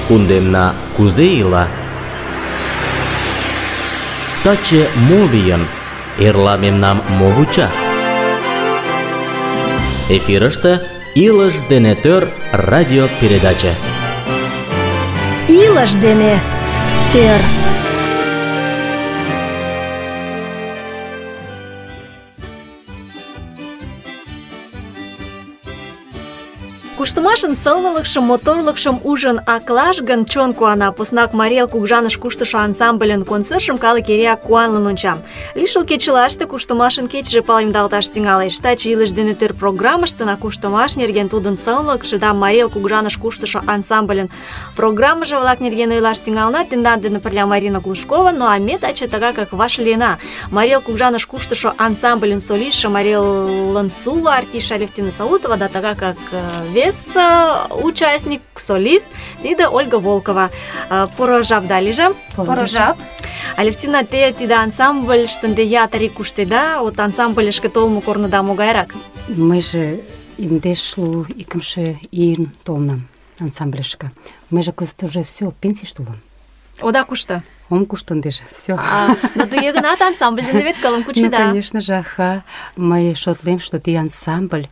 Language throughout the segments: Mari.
Кундемна кузе ила? Таче мо лийын? Эрла мемнам мо вуча? Эфирыште «Илыш дене тӧр» радиопередаче. Илыш дене тӧр. Куштымашын сылнылыкшым, моторлыкшым ужын аклаш гын, чон куана. Поснак Марий Эл кугыжаныш куштышо ансамбльын концертшым калык эреак куанлын онча. Лишыл кечылаште Куштымашын кечыже палемдалташ тӱҥалеш. Таче «Илыш дене тӧр» программыштына Куштымаш нерген, тудын сылнылыкше да Марий Эл кугыжаныш куштышо ансамбльын программыже-влак нерген ойлаш тӱҥалына. Тендан дене пырля Марина Глушкова, ну а ме таче тыгакак вашлийына. Марий Эл кугыжаныш куштышо ансамбльын солистше, Марий Элын суло артистше Алевтина Саутова, да тыгакак вес участник, солист, тиде Ольга Волкова. Поро жап да лийже. Поро жап. Алевтина, те тиде ансамбльыште ынде ятыр ий куштеда, от ансамбльышке толмо корныда могайрак? Мыйже индешлу икымше ийын толынам ансамбльышке. Мыйже кызыт уже все, пенсийыште улам. Ода кушто? Ом кушто ындыже, все. Но туге гынат ансамбль дене вет кылым кучеда. Ну, конечно же, аха. Мый шотлем, что ти ансамбль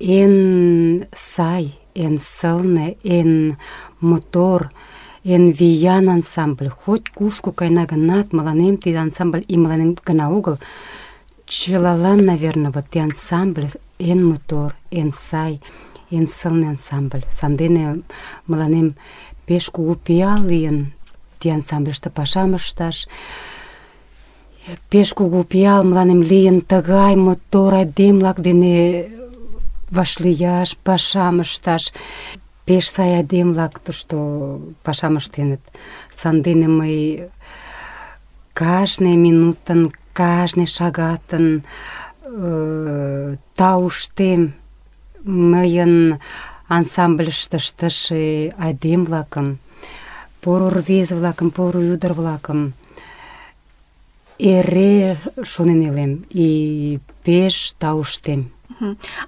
эн сай, эн сылне, эн мотор, эн виян ансамбль. Хоть кушко кайна гынат, мыланем тиде ансамбль и мыланем гына огыл, чылалан, наверное, вот ти ансамбль эн мотор, эн сай, эн сылне ансамбль. Сандене мыланем пеш кугу пиал лийын ти ансамбльыште пашам ышташ. Пеш кугу пиал мыланем лийын тыгай мотор айдем-влак дене вашлияш, пашам ышташ. Пеш сай айдем-влак тушто пашам ыштеныт. Сандене мый кажне минутын, кажне шагатын тауштем мыйын ансамбльыште ыштыше айдем-влакым, поро рвезе-влакым, поро ӱдыр-влакым эре шонен илем и пеш тауштем.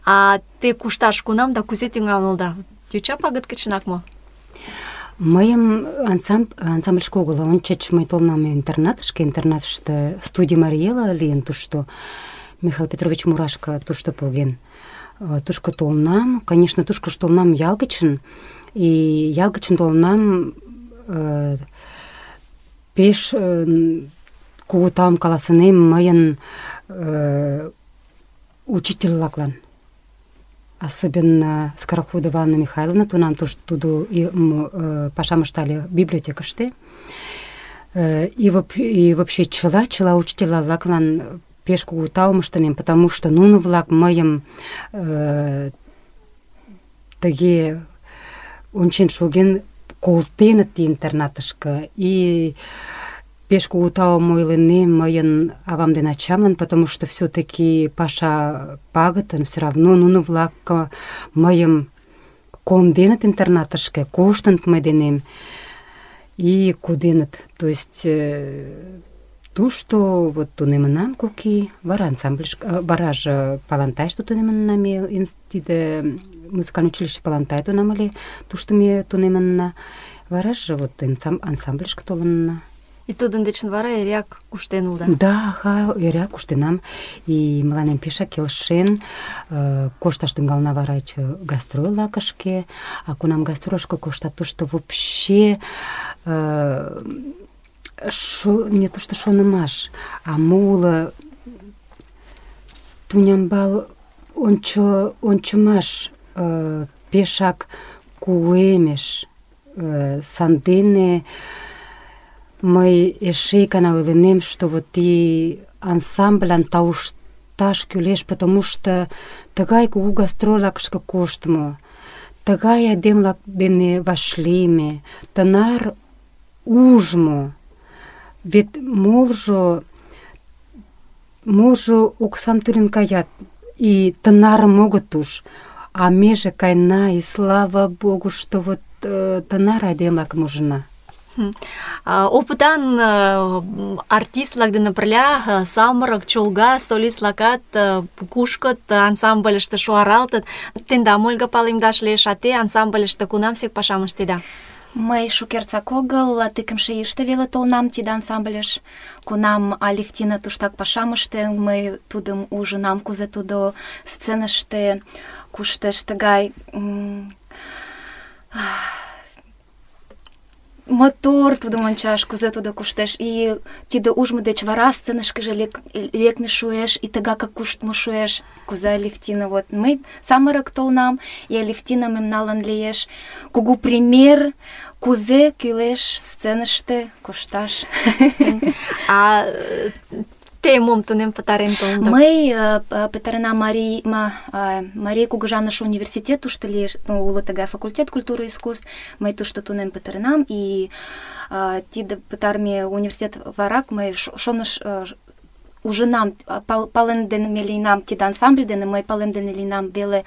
А те кушташ кунам да кузе тӱҥалында? Йоча пагыт гычынак мо? Мыйым ансамбльышке огыл, ончыч мый толынам интернатышке, интернатыште студий Марий Эл лийын тушто, Михаил Петрович Мурашко тушто поген. Тушко толынам, конечно, тушко толынам ял гычын, и ял гычын толынам пеш кугу таум каласынем мыйын учитель-влаклан. Особенно Скороходова Анна Михайловна, тунам тудо пашам ыштале библиотекыште. И вообще чыла учитель-влаклан пеш кугу таум ыштынем, потому что нуно-влак мыйым тыге ончен шоген колтеныт интернатышке. И пеш кугу таум ойлынем мыйын авам ден ачамлан, потому что все-таки паша пагытын, все равно нуно-влак мыйым конденыт интернатышке, коштыныт мый денем и коденыт. То есть тушто вот тунемынам кок ий, вара ансамбльышке, вараже Палантайыште тунемынна, тиде музыкальный училище Палантай тунам ыле, тушто ме тунемынна, вараже вот ансамбльышке толынна. И тудын дечын вара эреак куштен улыда? Да, эреак куштенам. И мыланем пешак келшен. Кошташ тӱҥална вара гастроль лакышке. А кунам гастрольышко коштат, тушто вообще не то что шонымаш, а моло тунямбал ончымаш пешак куэмеш. Сандене мый эше икана ойлынем, что вот и ансамбльлан таушташ кӱлеш, потому что тыгай кугу гастроль лакышке коштмо, тыгай айдем-влак дене вашлийме, тынар ужмо. Вет молжо оксам тӱлен каят, и тынарым огыт уж. А меже кайна, и слава Богу, что вот тынар айдем-влакым ужына. Опытан артист-влак дене пырля самырык, чолга солист-влакат кушкыт, ансамбльыште шуаралтыт. Тендам, Ольга, палемдаш лиеш, а те ансамбльыште кунамсек пашам ыштеда? Мый шукертак огыл, икымше ийыште веле толынам тиде ансамбльыш. Кунам Алевтина туштак пашам ыштен, мый тудым ужынам, кузе тудо сценыште куштеш тыгай мотор тудым ончаш, кузе тудо куштеш. И тиде ужмо деч вара сценышкыже лекме шуэш, и тыгакак куштмо шуэш, кузе Алевтина. Вот мый самырык толынам, и Алевтина мемналан лиеш кугу пример, кузе кӱлеш сценыште кушташ. А те мом тунем пытарен толында? Мый пытаренам Марий кугыжаныш университет, тушто лиеш, уло тыгай факультет культуры и искусств. Мый тушто тунем пытаренам, и тиде пытарыме университет варак мый ужынам, палемдыме лийынам тиде ансамбль дене, мый палемдыме лийынам веле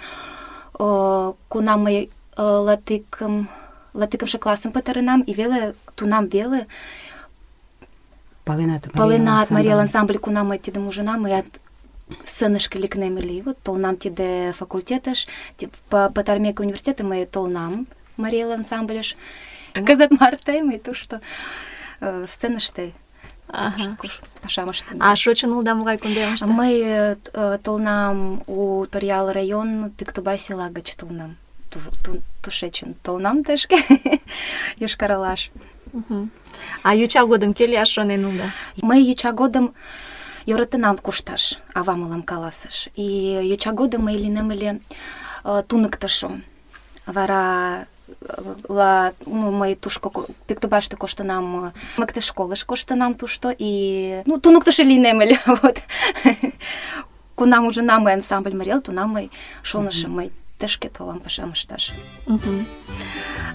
кунам мый латикымше классым пытаренам, и веле тунам веле паленат Мариэл ансамбль, кунам мый тидым ужынам, мыят сценышке лекнем ыле. Вот толынам тиде факультетыш, пытарымеке университетым мый толынам Мариэл ансамбльыш. Кызыт марте мый тушто сценыште пашам ыштем. А шочын улыда могай кундемыште? Мый толынам у Торъял район Пиктубай села гыч толынам. Тушечын толынам тышке, Йошкар-Олаш. А йоча годым кӧ лияш шонен улыда? Мый йоча годым йӧратенам кушташ, ава мылам каласыш. И йоча годым мый лийнем ыле туныктышо. Вара мый тушко Пиктубайыште коштынам, мыктыш школыш коштынам тушто, и туныктышо лийнем ыле. Вот. Кунам ужынам мый ансамбль Мариэл, тунам мый шонышым, мый тышке толам пашам ышташ.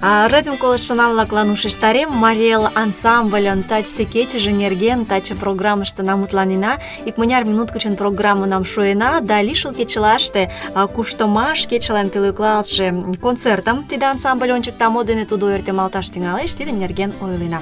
Радио колыштшо-влаклан ушештарем, Мариэл ансамбльын тачысе кечыже нерген таче программыште мутланена. Икмыняр минут гычын программынам шуена, да лишыл кечылаште куштымаш кечылан пӧлеклалтше концертым тиде ансамбль ончыкта, мо дене тудо ойыртемалташ тӱҥалеш, тидын нерген ойлена.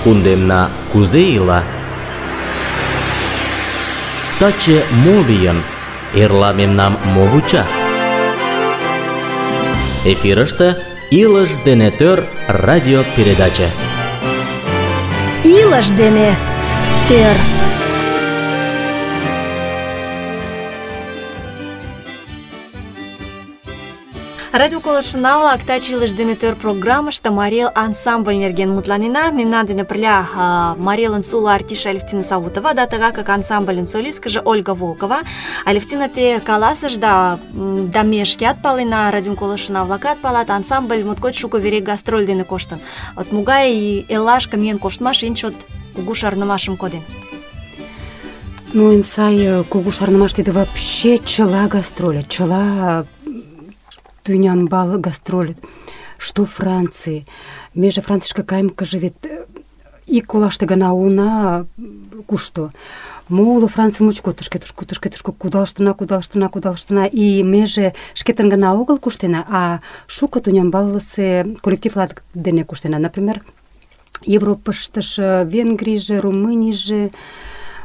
кундемна кузе ила? Таче мо лийын? Эрла мемнам мо вуча? Эфирыште «Илыш дене тӧр» радио передача. Илыш дене тӧр. Радио колыштына-влак, таче «Илыш дене тӧр» программыште Марий ансамбль нерген мутланена. Мемнан дене пырля Марийын суло артист Алевтина Савутова, да тыгакак ансамбльын солисткыже Ольга Волкова. Алевтина, те каласышда, да ме шкеат палена, радио колыштына-влакат палат, ансамбль моткоч шуко вере гастроль дене коштын. От могай эллашке миен коштмаш эн чот кугу шарнымашым коден? Ну, эн сай кугу шарнымаш тиде вообще чыла гастроль, чыла тӱнямбал гастроль, что Франции. Меже Францийшке кайымкыже вет ик олаште гына уна кушто. Моло Франций мучко тышке кудалыштына, и меже шкетын гына огыл куштена, а шуко тӱнямбалысе коллективлар дене куштена. Например, Европыштыжо, Венгрийже, Румынийже,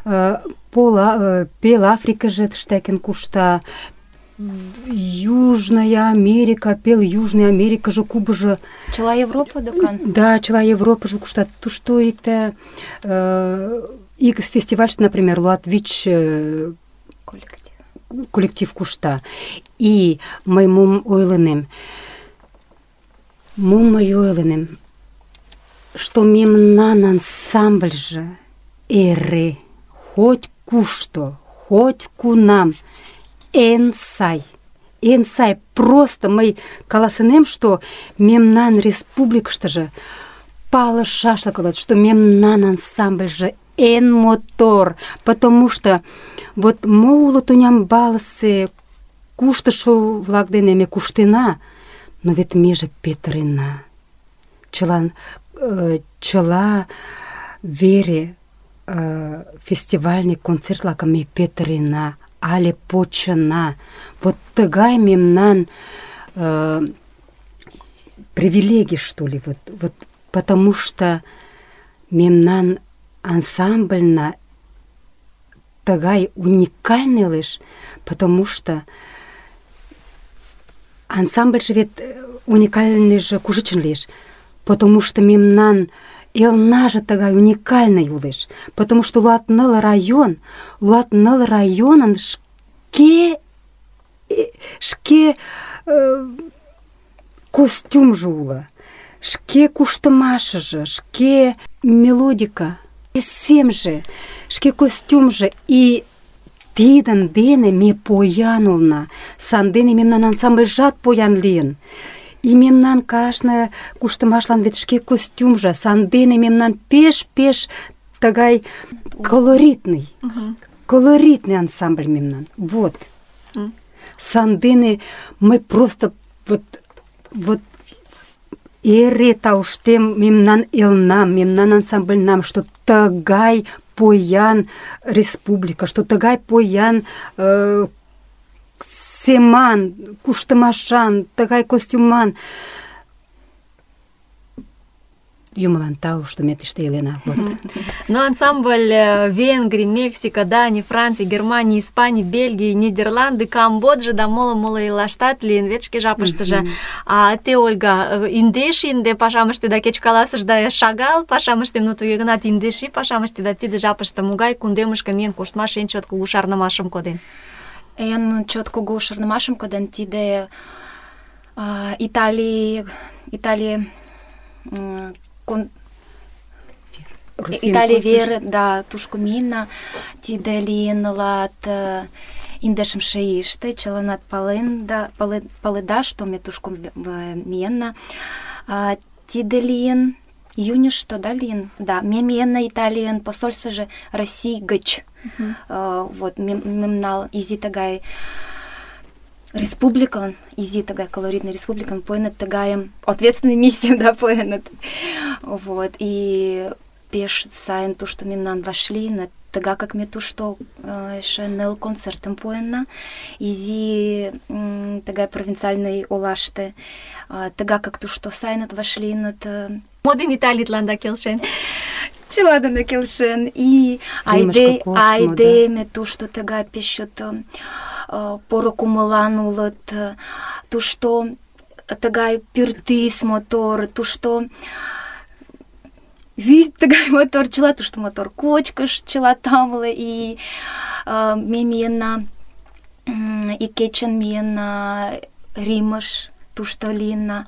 пел Африкыже тыштекен кушта, Южная Америка, пел Южная Америкаже, Кубаже. Чыла Европа докан? Да, чыла Европаже куштат. Тушто икте ик фестивальыште, например, Луатвич коллектив кушта. И мый мом ойленем, что мемнан ансамбльже эре хоть кушто, хоть кунам эн сай, просто мый каласынем, что мемнан республикыштыже палышашлык улыт, что мемнан ансамбльже эн мотор, потому что вот мо уло тӱнямбалысе куштышо-влак дене ме куштена, но вет меже петырена. Чыла вере фестивальный концерт-влакым ме петырена, але почына. Вот тыгай мемнан привилегий, что ли, вот потому что мемнан ансамбльна тыгай уникальный лишь, потому что ансамбль же вет уникальный же кушечен лишь, потому что мемнан элнаже тыгай уникальный улеш, потому что Луатныл районын шке костюмжы улы, шке куштымашыжы, шке мелодика, семже, шке костюмжы, и тидын дене ме поян улна, сандене мемнан ансамбльжат поян лийын. И мемнан кажне куштымашлан вет шке костюмжа, сандене мемнан пеш тыгай колоритный ансамбль мемнан. Вот. Сандене мы просто вот эре тауштем мемнан элнам, мемнан ансамбльнам, что тыгай поян республика, что тыгай поян семан, куштымашан, тыгай костюман. Юмылан тау, что ме тыште илена. Вот. Но ансамбль Венгрии, Мексика, Дании, Франции, Германии, Испании, Бельгии, Нидерланды, Камбоджа да моло илаштат лийын вет шке жапыштыже. А те, Ольга, индеш инде пашам ыштеда, кеч каласышда шагал пашам ыштем, но туге гынат индеши пашам ыштеда, тиде жапыште могай кундемышке миен коштмаш эн чот кугу шарнымашым коден? Эн чот кугу шарнымашым коден тиде Италия вер, да, тушко мина, тиде лийын лат индешымше ийыште, чыланат паледа, что ме тушко миенна. Тиде лийын июньышто, да, лийын? Да, ме миенна Италийын посольствыже Россий гыч. Вот, мемнал изи тыгай республикан, изи тыгай колоритный республикан, поенат тыгайым ответственный миссию, да, поенат. Вот, и пеш сайын тушто мемнан вашли, на тыга как ме тушто эше ныл концертым поенна, изи тыгай провинциальный олаште, тыга как тушто сайынат вашли нат... Моден Италитлан да келшен. чыла дене келшен. И айдеме тушто тыгай пеш чот поро кумылан улыт, тушто тыгай пӱртӱс мотор, тушто вӱд тыгай мотор, чыла тушто мотор, кочкыш чыла тамле. И ме миенна, ик кечын миенна Римыш, тушто лийынна.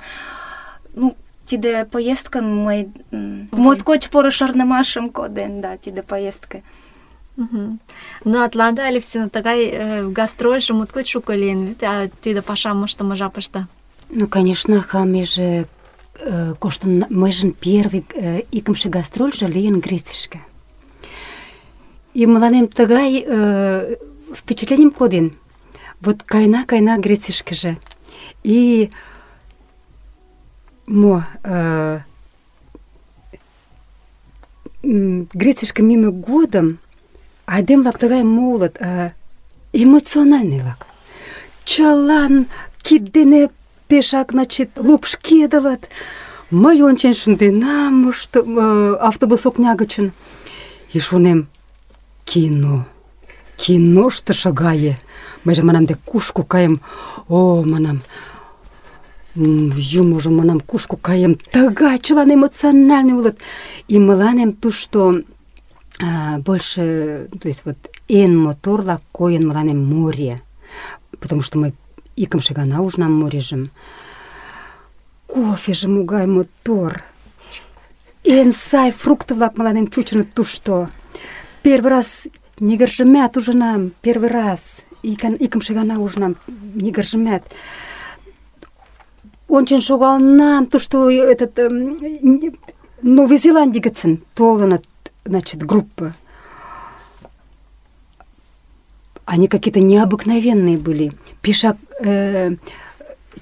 Ну, тиде поездкын мый моткоч поро шарнымашым коден, да, тиде поездка. Ну, Атланта Алевтина тыгай гастрольжо моткоч шуко лийын вет, а тиде пашам ыштыме жапыште. Ну, конечно, меже коштын, мыйжын первый икымше гастрольжо лийын Грецийышке. И мыланем тыгай впечатлением коден. Вот кайна Грецийышкеже. И Грецийышке мимо годым айдем-влак тыгай молот, эмоциональный-влак. Чылан кид дене пешак, значит, лупшкедылыт. Мый ончен шынденам автобус окня гычын. И шонем, киноштышо гае. Мыйже манам, де кушко каем? О, манам, юможо, манам, кушко каем? Тыгай чылан эмоциональный улыт. И мыланем тушто больше, то есть вот эн моторла койын мыланем море. Потому что мый икымше гана ужынам морежым. Кофеже могай мотор. Эн сай фрукты-влак мыланем чучыныт тушто. Первый раз нигыржымат ужынам, первый раз. Икымше гана ужынам нигыржымат. Ончен шогалнам, тушто этот Новой Зеландии гыцын толыныт, значит, группа. Они какие-то необыкновенные были. Пешак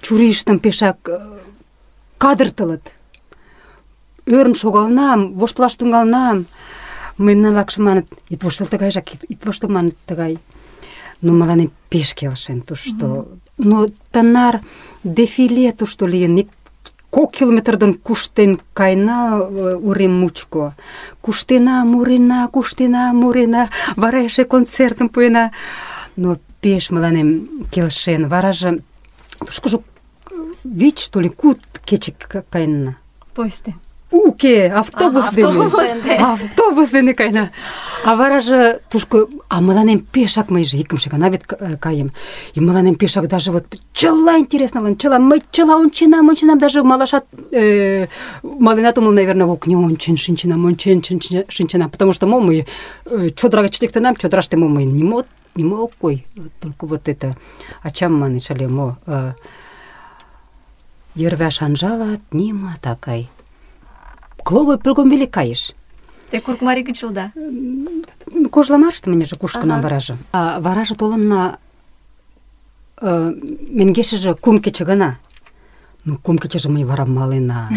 чурийыштым пешак кадыртылыт. Ӧрын шогалнам, воштылаш тӱҥалнам. Мыйын лакше маныт, ит воштыл тыгайжак, ит воштыл маныт тыгай. Но мыланем пеш келшен тушто. Но тынар дефиле тушто лийын. 2 километрден куштен кайна урем мучко. Куштена, мурена, вара эше концертым пуэна. Но пеш мыланем келшен. Вараже тушкыжо 5, что ли, 5 кече кайна. Поезде. Уке, автобус дене кайна. А вараже тушко, мыланем пешак, мыйже икымше гана вет каем. И мыланем пешак даже вот чыла интересно, мый чыла онченам, даже малашат маленат умыл, наверное, в окне ончен шинченам, потому что мы чодыра гыч лектынам, чодыраште мый нимо ок кой, только вот это ачам манеш ыле мо йырваш анжалат, нима такай. Кловой прыгом веле кайыш. Те Курыкмарий гыч улыда? Кожламарыште мынеже кушкынам вараже. Вараже толынна меҥгешыже 3 кече гына. Ну, 3 кечеже мый вара малена.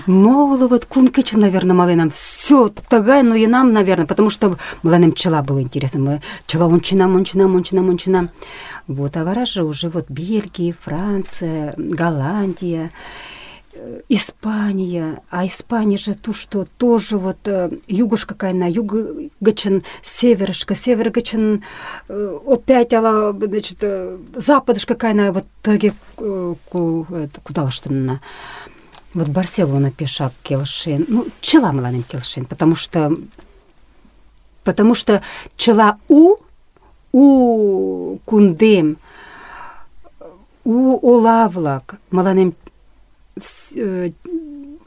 Моло вот 3 кече, наверное, маленам. Все тыгай ноенам, наверное, потому что мыланем чыла было интересно. Мы чыла онченам. Вот, а вараже уже вот Бельгия, Франция, Голландия, Испания. А Испания же ту, что тоже вот югушка кайна, юг гычын северышка, север гычын опять значит, западышка кайна, вот тыге кудалыштынна. Вот Барселона пешак келшен. Ну, чыла мыланем келшен, потому что чыла у кундем, у олавлак мыланем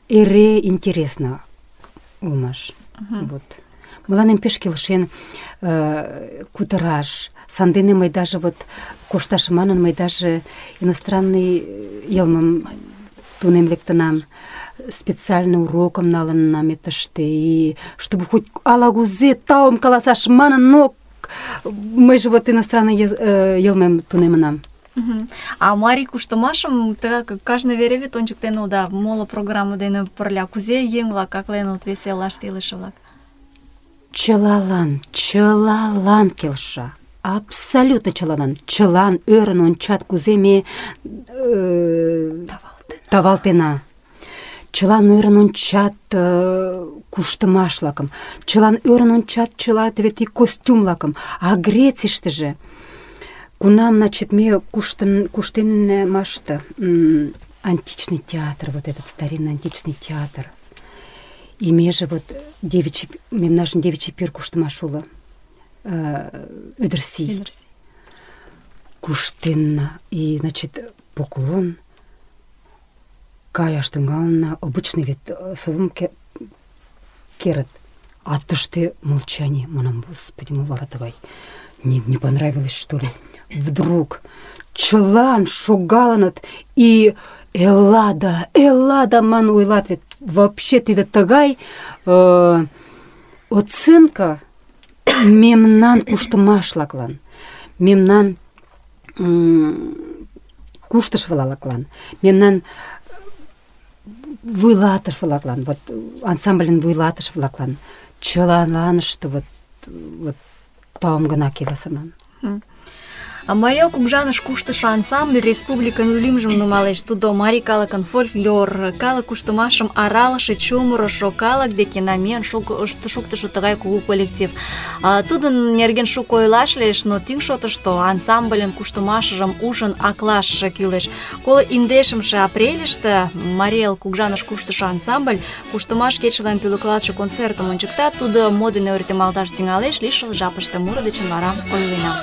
эре интересно улмаш. Вот. Мыланем пеш келшен кутыраш. Сандене мый даже вот кошташ манын, мый даже иностранный йылмым тунем лектынам, специально урокым налынам этыште, и чтобы хоть алагузе таум каласаш манын, но мый же вот иностранный йылмым тунемынам. А марий куштымашым кажне вере вет ончыктен улыда, моло программа дене пырля. Кузе еҥ-влак акленыт веселаште илыше-влак? Чылалан келша. Абсолютно чылалан. Чылан ӧрын ончат, кузе ме тавалтена. чылан ӧрын ончат куштымаш-влакым, чылан ӧрын ончат чыла теве тый костюм-влакым. А Грецийыштыже кунам, значит, ме куштенмаште античный театр, вот этот старинный античный театр, и меже вот мемнажын девичий пир куштымаш уло, Ӱдырсий. Куштенна, и, значит, поклон, каяш тӱҥалынна, обычный вет совым керыт, а тыште молчание. Манам, господи, мо вара тыгай? Не понравилось, что ли? Вдруг чылан шогалыныт, и Эллада ман ойлат вет. Вообще тиде тыгай оценка мемнан куштымашлаклан, мемнан куштыш-влаклан, мемнан вуйлатыш-влаклан, вот ансамбльын вуйлатыш-влаклан чылаланыште вот таум гына келесыман. А Марел кугыжаныш куштышо ансамбль республикын лӱмжым нумалеш. Тудо марий калыкын фольклор, калык куштымашым аралыше, чумырышо, калык деке намиен шуктышо тыгай кугу коллектив. Тудын нерген шуко ойлаш лиеш, но тӱҥ шотышто ансамбльын куштымашыжым ужын аклаш кӱлеш. 21 апрельыште Марел кугыжаныш куштышо ансамбль куштымаш кечылан пӧлеклалтше концертым ончыкта. Тудо мо дене ойыртемалташ тӱҥалеш, лишыл жапыште муро дечын вара ойлена.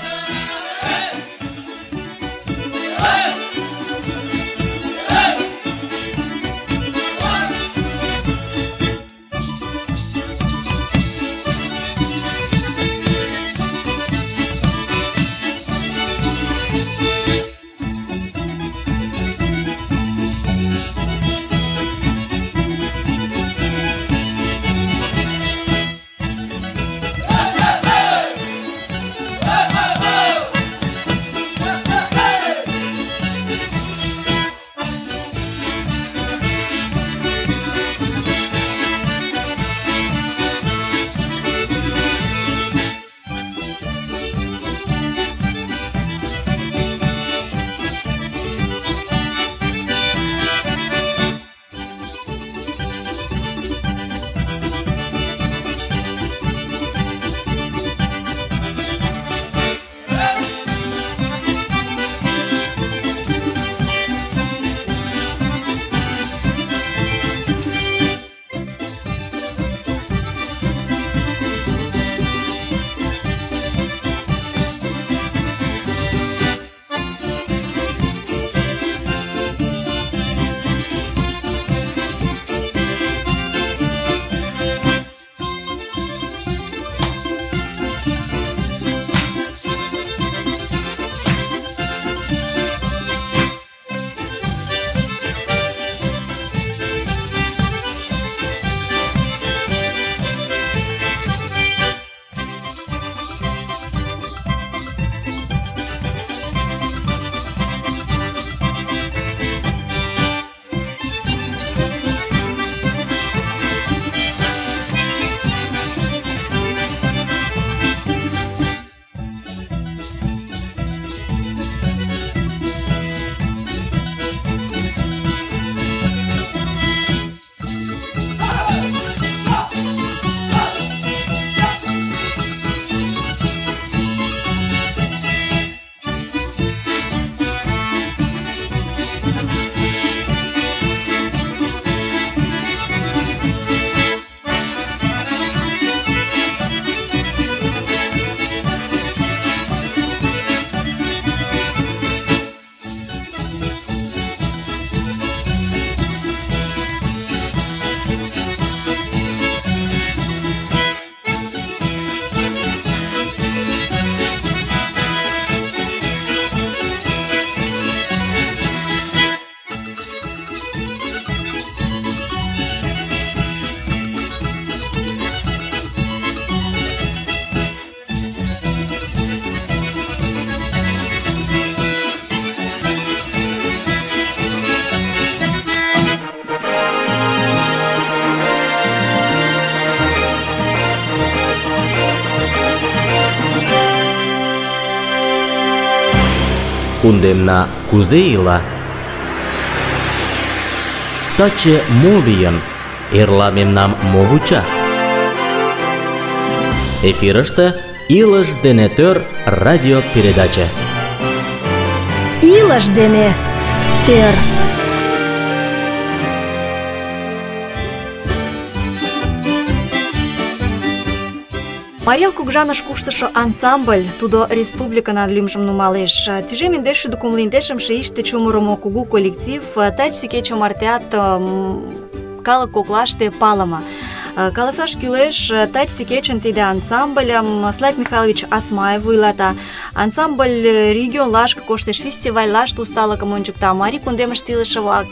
Кундемна кузе ила? таче мо лийын? Эрла мемнам мо вуча? Эфирыште «Илыш дене тӧр» радиопередаче. Илыш дене тӧр. Марел кугыжаныш куштышо ансамбль, тудо республиканан лӱмжым нумалеш. Тӱжем индеш шӱдӧ кумло индешымше ийыште чумырымо кугу коллектив тачысе кече мартеат калык коклаште палыме. Каласаш кӱлеш, тачысе кечын тиде ансамбльым Славик Михайлович Асмаев вуйлата. Ансамбль регионлашке коштеш, фестивальлаште усталыкым ончыкта. Марий кундемыште илыше-влак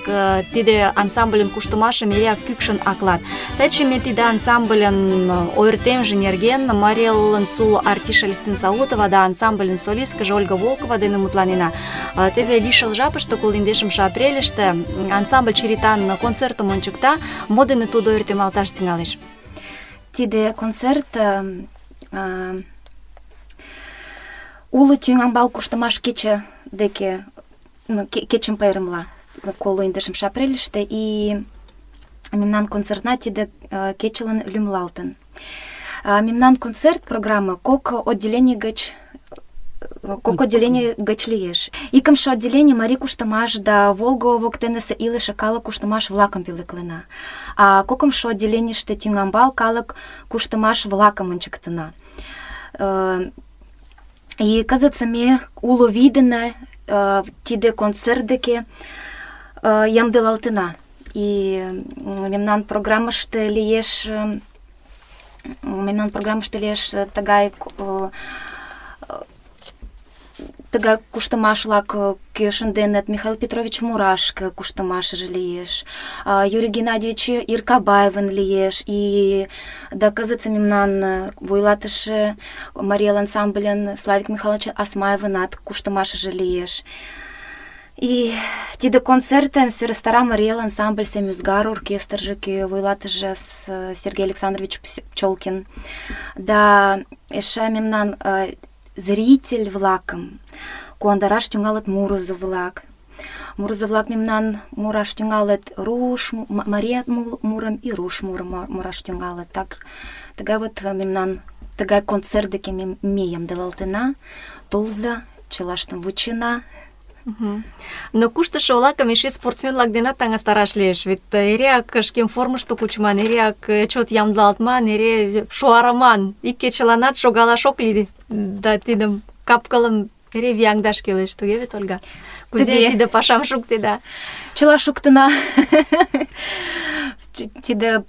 тиде ансамбльын куштымашым эреак кӱкшын аклат. Таче ме тиде ансамбльын ойыртемже нерген Марелын суло артист Алевтина Саутова да ансамбльын солисткыже Ольга Волкова дене мутланена. Теве лишыл жапыште, 21 апрельыште, ансамбль черетан концертым ончыкта. Мо дене тудо ойыртемалташ тӱҥалеш? Тиде концерт уло тӱҥамбал куштымаш кече деке кечым пайремла, 21 апрельыште, и мемнан концертна тиде кечылан лӱмлалтын. Мемнан концерт программа кок отделение гыч лиеш. Икымше отделение марий куштымаш да Волго воктенысе илыше калык куштымаш-влакым пӧлеклена. А кокымшо отделенийыште тӱҥамбал калык куштымаш-влакым ончыктена. И кызытсе ме уло вий дене тиде концерт деке ямдылалтына. И мемнан программыште лиеш тыгай куштымаш-влак, кӧ шынденыт: Михаил Петрович Мурашко куштымашыже лиеш, Юрий Геннадьевич Иркабаевын лиеш, и да кызытсе мемнан вуйлатыше Марел ансамбльын Славик Михайлович Асмаевынат куштымашыже лиеш. И тиде концертым сӧрастара Марел ансамбль Семюзгар оркестрже, кӧ вуйлатыше Сергей Александрович Пчелкин, да эше мемнан зритель-влакым куандараш тӱҥалыт мурызо-влак. Мурызо-влак мемнан мураш тӱҥалыт руш, мария мурым и руш мурым мураш тӱҥалыт. Тыгай вот мемнан тыгай концерт деке ме ямдылалтына. Толза, чылаштым вучена. Но куштышо-влакым эше спортсмен-влак денат таҥастараш лиеш, вет эреак шкем формышто кучыман, эреак чот ямдылалтман, эре шуарыман. Ик кечыланат шогалаш ок лий, да тидым капкылым эре вияҥдаш кӱлеш, туге вет, Ольга? Кузе тиде пашам шуктеда? Чыла шуктена. Тиде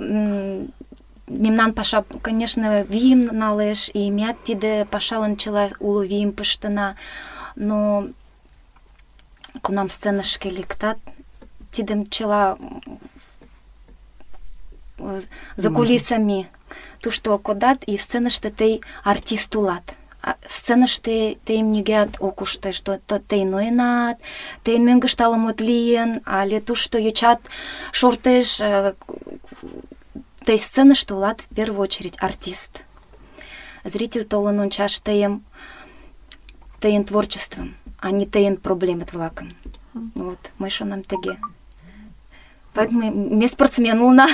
мемнан паша, конечно, вийым налеш, и меат тиде пашалан чыла уло вийым пыштена, но кунам сценышке лектат, тидым чыла за кулисами тушто кодат, и сценыште тый артист улат. Сценыште тыйым нигӧат ок уште, что тый ноенат, тыйын мӧҥгыштӧ ала-мо лийын, але тушто йочат шортеш. Тый сценыште улат в первую очередь артист. Зритель толын ончаш тыйын творчествым, а не тыйын проблемет-влакым. Вот, мый шонем тыге. Поэтому ме спортсмен улына.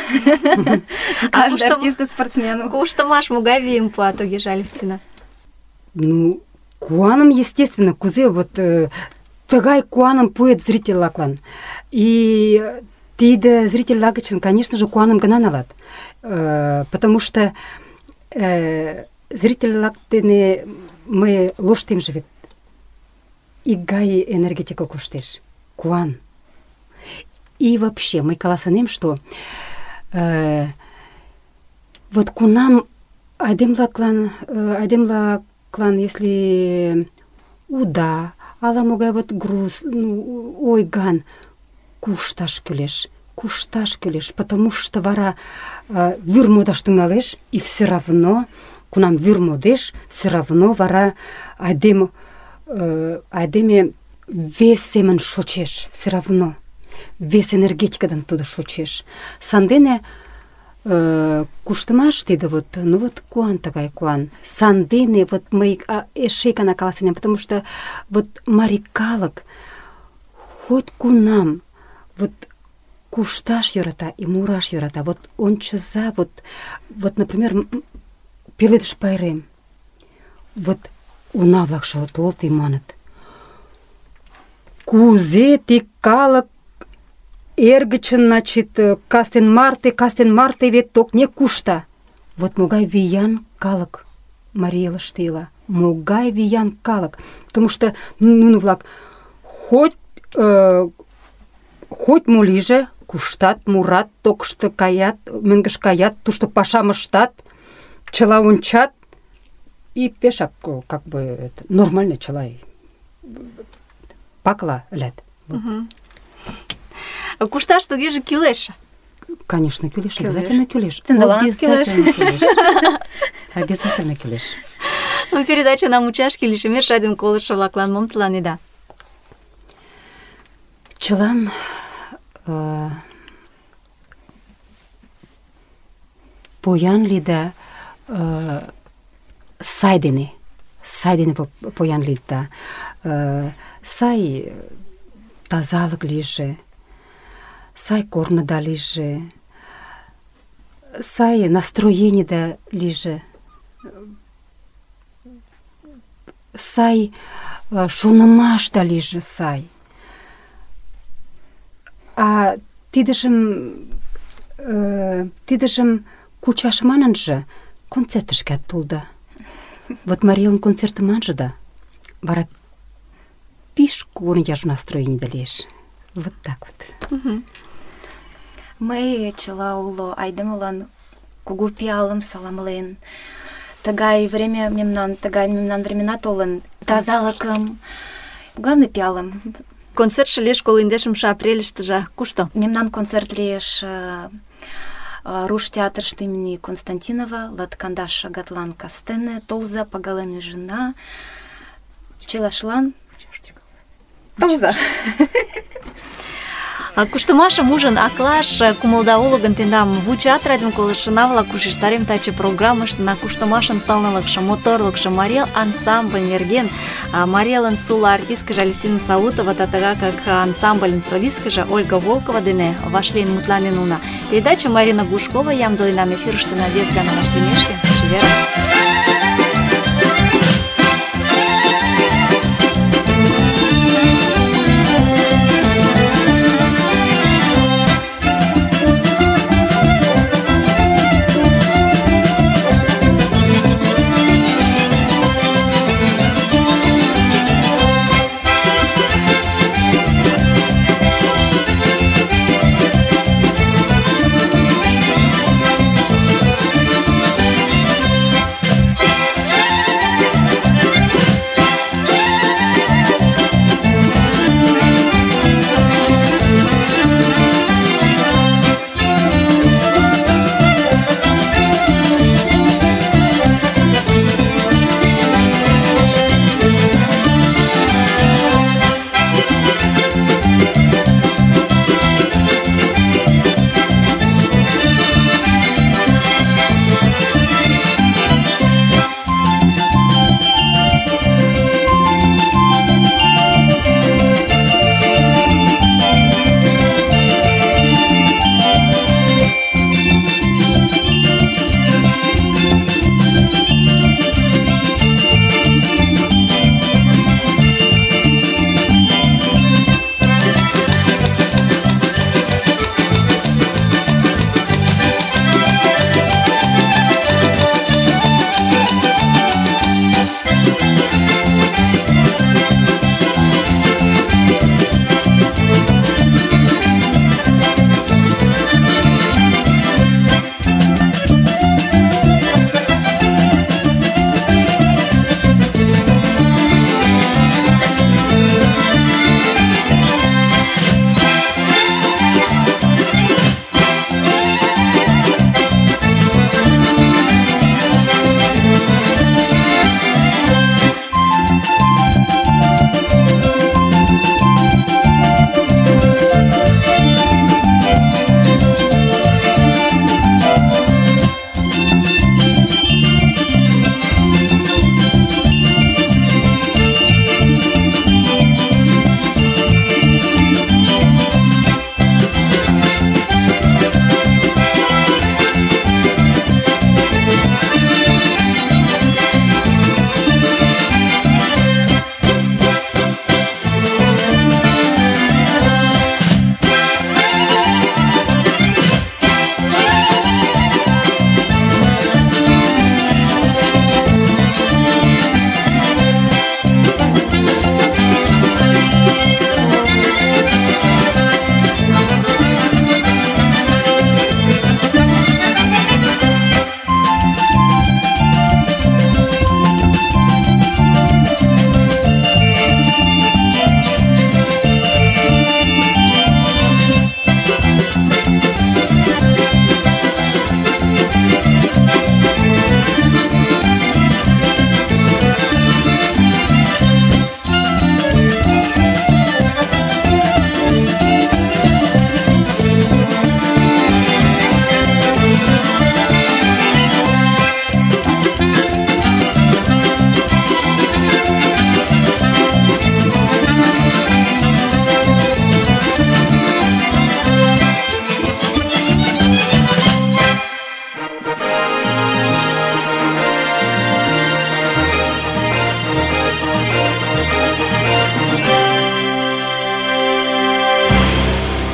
Каждый артист спортсмен. Куштымаш могай вийым пуа, тугеже, Алевтина? Ну, куаным, естественно, кузе вот тыгай куаным пуэт зритель-влаклан. И тиде зритель-влак гычын, конечно же, куаным гына налат. Потому что зритель-влак дене мый лоштемже вет икгай энергетика коштеш. Куан. И вообще, мый каласынем, что вот кунам айдемлаклан, если уда, ала-могай вот груз, ойган, кушташ кӱлеш, потому что вара вӱр модаш тӱҥалеш, и все равно, кунам вӱр модеш, все равно вара айдеме вес семын шочеш, все равно. Вес энергетикадан тудо шочеш. Сандене куштымаш тиде вот, ну вот куан тыгай куан. Сандене вот мый эше икана каласынем, потому что вот марий калык хоть кунам вот кушташ йӧрата и мураш йӧрата. Вот ончыза, вот, например, Пеледыш пайрем. Вот уна-влакше толыт и маныт: кузе ти калык эргычын, значит, кастен марте вет токне кушта. Вот могай виян калык Марий Элыште ила. Могай виян калык. Потому что нуно-влак хоть мо лийже, куштат, мурат, токышто каят, мӧҥгыш каят, тушто пашам ыштат, чыла ончат, и пешак, как бы, это, нормально чыла пакла ылят. Кушташ тугеже кӱлеш. Конечно, кӱлеш, обязательно кӱлеш. Обязательно кӱлеш. Обязательно кӱлеш. Передача мучашке лишемеш, радиом колышо-влаклан мом тыланеда? Чылан поян лийда, сай дене поян лийда. Сай тазалык лийже, сай корныда лийже, сай настроенийда лийже, сай шонымашда лийже сай. А тидыжым кучаш манынже концертышкат толда. Вот Марий Элын концертым манже да, вара пиш кугун яж настроенийда лиеш. Вот так вот. Мый чыла уло айдемылан кугу пиалым саламлен. Тыгай мемнан времена толын. Тазалыкым, главный пиалым. Концертше лиеш 21 апрельыштыже. Кушто? Мемнан концерт лиеш Руш театрыште имени Константинова, латкандаш шагатлан кастене, толза, пагален ӱжына, чылашлан толза. Куштымашым ужын аклаш кумылда уло гын, тендам вучат радиом колышына-влак, ушештарем таче программыштына куштымашын сылнылыкше, моторлыкшо, Марий Эл ансамбль нерген, Марий Элын сула артисткыже Алевтина Саутова, тагак ансамбльын солисткыже Ольга Волкова дене вашлийын мутланен уна. Передача Марина Глушкова ямдылен эфирыштына вес гана вашлиймешке. Чеверын!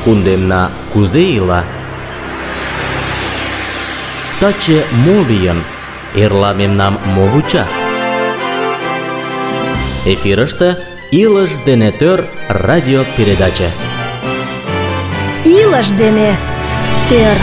кундемна кузе ила? Таче мо лийын? Эрла мемнам мо вуча? Эфирыште «Илыш дене тӧр» радиопередаче. Илыш дене тӧр.